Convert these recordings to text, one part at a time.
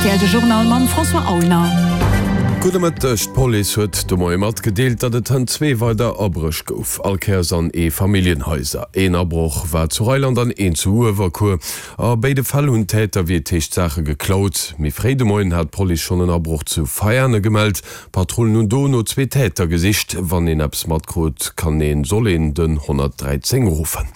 Rtl de Journal mam François Aulner. Gudde Mëtteg, D'Police huet de Moie matgedeelt, datt et hënt zwee weider Abréch gouf, all Kéiers an Eefamilljenhaiser. Een Abroch war zu Reiland an een zu Uewerkuer. A béide Fäll hunn d'Täter, wéi et heescht, Saache geklaut. Méi fréi de Moien hat d'Police schonn en Abroch zu Veiane gemellt. Patrullen hunn do no zwee Täter gesicht. Wann een eppes matkrut, kann een, soll een den 113 ruffen.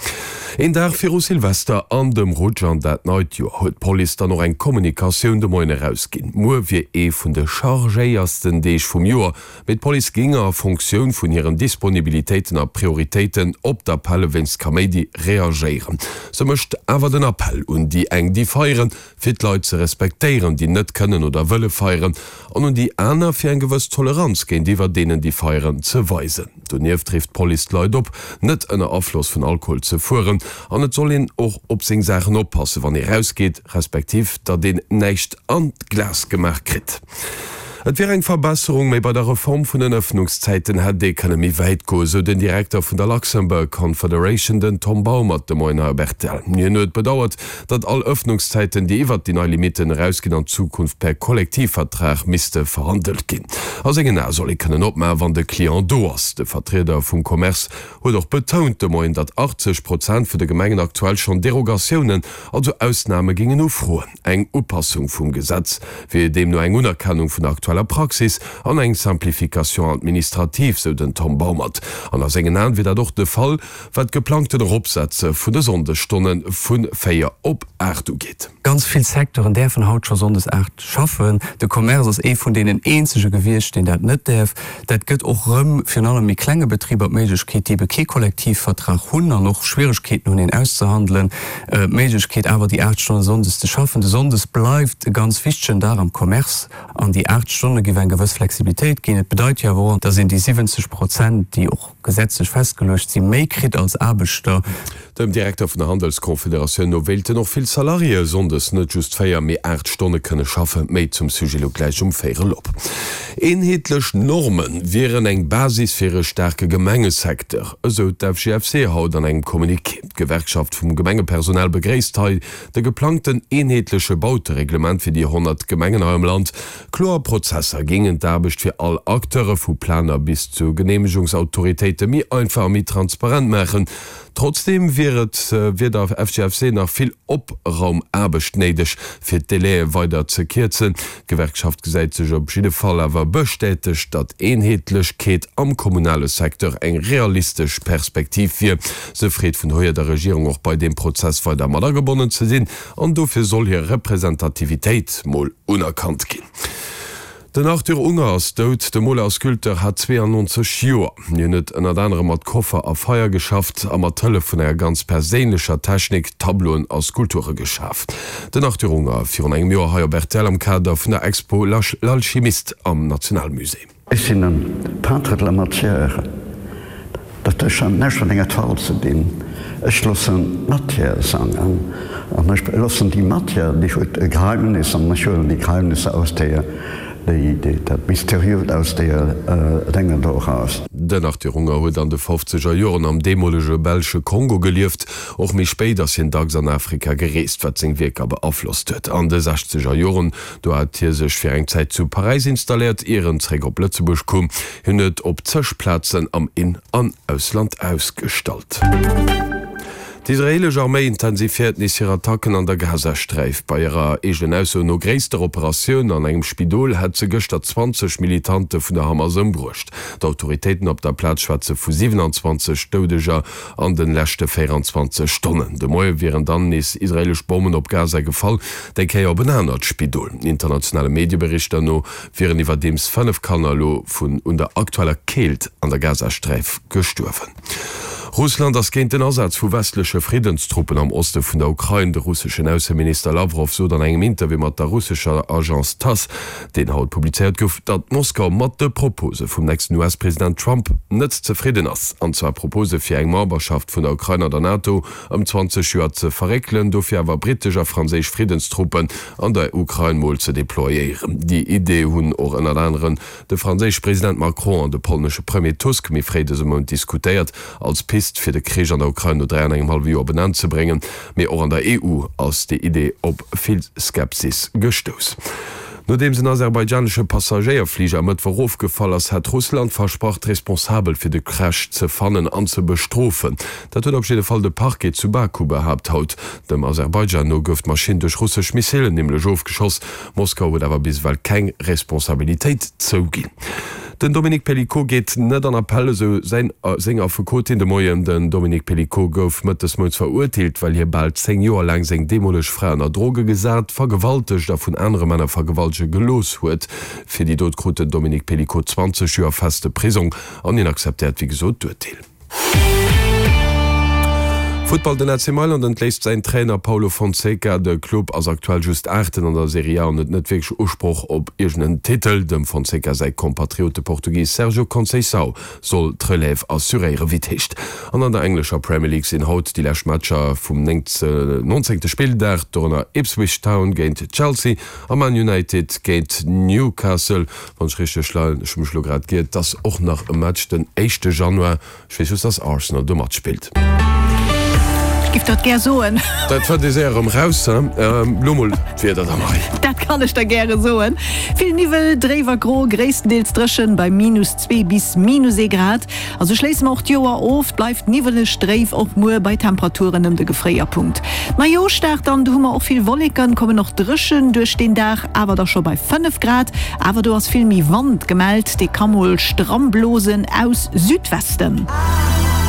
Een Dag viru Silvester an dem Rutsch an dat neit Joer huet d'Police dann och eng Kommunikatioun de Moien erausginn. Muer wier ee vun de chargéiersten Deeg vum Joer, mee d'Police géing a Fonctioun vun hiren Disponibilitéiten a Prioritéiten op d'Appelle wéinst Kaméidi reagéieren. Se mécht awer den Appell un déi eng, déi feieren, fir d'Leit ze respektéieren, déi net kënnen oder wëlle feieren, an un déi aner, fir eng gewëss Toleranz géintiwwer deenen, déi feieren, ze weisen. Donieft rifft d'Police d'Leit op, net ënner Afloss vun Alkohol ze fueren, an et soll een och op seng Saachen oppassen, wann ee rausgeet, respektiv datt een näischt an d'Glas gemaach kritt. Et wier eng Verbesserung, mee bei der Reform vun den Ëffnungszäiten hätt ee kënne méi wäit goen, sou den Direkter vun der Luxembourg Confederation, den Tom Baumert, de Moien hei op rtl. Hien huet bedauert, datt all Ëffnungszäiten, déi iwwert déi nei Limitten erausginn, an Zukunft per Kollektivvertrag misste verhandelt ginn. A sengen Ae soll ee kënnen opmaachen, wann de Client do ass. De Vertrieder vum Commerce huet och betount de Moien, datt 80 Prozent vun de Gemengen aktuell schonn Derogatiounen, also Ausname géingen ufroen. Eng Upassung vum Gesetz wier deemno eng Unerkennung vun der aktueller Praxis an eng Simplification administrative, sou den Tom Baumert. An a sengen Aen wier dat och de Fall, wat d'geplangten Eropsetze vun de Sonndesstonne vu 4 op 8 ugeet. Ganz vill Secteuren däerfen haut scho sonndes 8 schaffen. De Commerce ass ee vun deenen eenzege gewiescht, deen dat net däerf. Dat gëtt och erëm virun allem méi klenge Betriber d'Méiglechkeet, déi ebe kee Kollektivvertrag hunn an och Schwieregkeeten hunn, een auszehandelen, d'Méiglechkeet awer déi 8 Stonne sonndes ze schaffen. De Sonndes bleift e ganz wichtegen Dag am Commerce an déi 8 Stonne géif eng gewëss Flexibilitéit ginn. Et bedeit jo awer och, dass een déi 70 Prozent, déi och gesetzlech festgeluecht sinn, méi kritt als Aarbechter. Dem Direkter vun der Handelsconfederatioun no wéilten och vill Salariéë sonndes net just 4, mee 8 Stonne kënne schaffen. Méi zum Sujet elo gläich um véierel op. Eenheetlech Norme wieren eng Basis fir e staarke Gemengesecteur, esou d'FGFC haut an engem Communiqué. D'Gewerkschaft vum Gemengepersonal begréisst hei de geplangten eenheetleche Bautereglement fir déi 100 Gemengen hei am Land. Kloer Prozesser géingen d'Aarbecht fir all Acteure, vu Planer bis zu Geneemegungsautoritéite méi einfach a méi transparent maachen. Trotzdeem wier et wier der FGFC nach vill Opraumaarbecht néideg, fir d'Délaië weider ze kierzen. D'Gewerkschaft gesäit sech op jidde Fall awer bestätegt, datt Eenheetlechkeet am kommunale Secteur eng realistesch Perspektiv wier. Se freet vun dohier der Regierung och bei deem Prozess weider mat agebonnen ze sinn an dofir soll hir Representativitéit mol unerkannt ginn. Den Arthur Unger ass dout. De Moler a Sculpteur hat 92 Joer. Hien huet ënnert anerem mat Koffer a Feier geschafft a mat Hëllef vun enger ganz perséinlecher Technik Tableauen a Skulpture geschaf. Den Arthur Unger virun engem Joer hei op rtl am Kader vun der Expo L'Alchimiste am Nationalmusée. Ech sinn en Peintre de la matière, dat huet schonn näischt mat enger Toile ze dinn. Ech loossen d'Matière sangen an ech loossen déi Matière, déi huet e Geheimnis an ech huelen déi Geheimnisser aus deeër, déi, dat Mysteriöst aus deeër Dénge do eraus. Den Arthur Unger huet an de fofzeger Joren am deemolege belsche Kongo gelieft. Och méi spéit ass hien dacks an Afrika gereest, wat seng Wierker beaflosst huet. An de sechzeger Joren Do hat hie sech fir eng Zäit zu Paräis installéiert, ier en zeréck op Lëtzebuerg koum. Hien huet op zeg Plazen am In an Ausland ausgestallt. D'israeelesch Arméi intensifiéiert nees hir Attacken an der Gazasträif. Bei hirer eegenen Ausso no gréisster Operatioun an engem Spidol hätt se gëschter 20 Militante vun der Hamas ëmbruecht. D'Autoritéiten op der Plaz schwätze vu 27 Doudeger an de leschte 24 Stonnen. De Moie wieren dann nees israeelesch Bommen op Gaza gefall. Déi Kéier op en anert Spidol. Internationale Medieberichter no wieren iwwerdeems 5 Kanner elo vun un der aktueller Keelt an der Gazasträif gestuerwen. Russland ass géint den Asaz vu westleche Friddenstruppen am Oste vun der Ukrain. De russeschen Ausseminister Lawrow sot an engem Interview mat der russescher Agence Tass, deen haut publizéiert gouf, datt Moskau mat de Propose vum nächsten US-President Trump net zefridden ass. An zwar Propose fir eng Memberschaft vun der Ukrain an der NATO, ëm 20 Joer ze verréckelen, dofir awer brittesch a franséisch Friddenstruppen an der Ukrain mol ze deployéieren. Déi Idee hunn och ënnert aneren de franséische President Macron an de polnesche Premier Tusk méi fréi dëse Mount diskutéiert. Als Pist. misst, fir de Krich an der Ukrain no 3 an engem hallwe Joer op en Enn ze bréngen. Mee och an der EU ass déi Idee op vill Skepsis gestouss. Nodeems en aserbaidschanesche Passagéierfliger e Mëttwoch ofgefall ass, hat Russland versprach, d'Responsabel fir de Crash ze fannen an ze bestrofen. Dat huet op jidde Fall de Parquet zu Baku behaapt haut. Dem Aserbaidschan no gouf d'Maschinn duerch russesch Missilen nämlech ofgeschoss. Moskau huet awer bis ewell keng Responsabilitéit zouginn. Den Dominique Pelicot geet net an Appell, esou säin seng Affekotin de Moien. Den Dominique Pelicot gouf Mëtt des Mounts verurteelt, well hie bal 10 Joer laang seng deemoleg Fra ënner Droge gesat, vergewaltegt a vun anere Männer vergewaltege gelooss huet. Fir déi Dot krut den Dominique Pelicot 20 Joer feste Prisong an hien akzeptéiert wéi gesot d'Urteel. Futtball, Den AC Mailand entléisst säin Trainer Paulo Fonseca. De Club ass aktuell just Aachten an der Serie A an huet net wierklech Usproch op iergend en Titel. Dem Fonseca säi Kompatriot, de Portugis Sergio Conceição, soll d'Relève assuréieren, wéi et heescht. An an der englescher Premier League sinn haut déi lescht Matcher vum nonzéngte Spilldag, dorënner Ipswich Town géint Chelsea a Man United géint Newcastle. Wann ech richteg leien, ech hu mech elo grad giert, dass och nach e Match den éischte Januar, ech weess just, dass Arsenal do matspillt. Ech giff dat gär soen. Dat fënnt ee séier erëm raus, he? Lo mol d'Wieder da, Marie. Dat kann ech der gäre soen. Vill Niwwel, dréif a gro, gréisstendeels dréchen bei minus 2 bis minus ee Grad. A sou schléisse mer och d'Joer of. Et bleift niwweleg, dréif och muer bei Temperaturen ëm de Gefréierpunkt. Neijooschdag dann, do hu mer och vill Wolleken, kommen och dréchen duerch den Dag, awer da scho bei 5 Grad. Awer do ass vill méi Wand gemellt, dee ka mol stramm blosen aus Südwesten.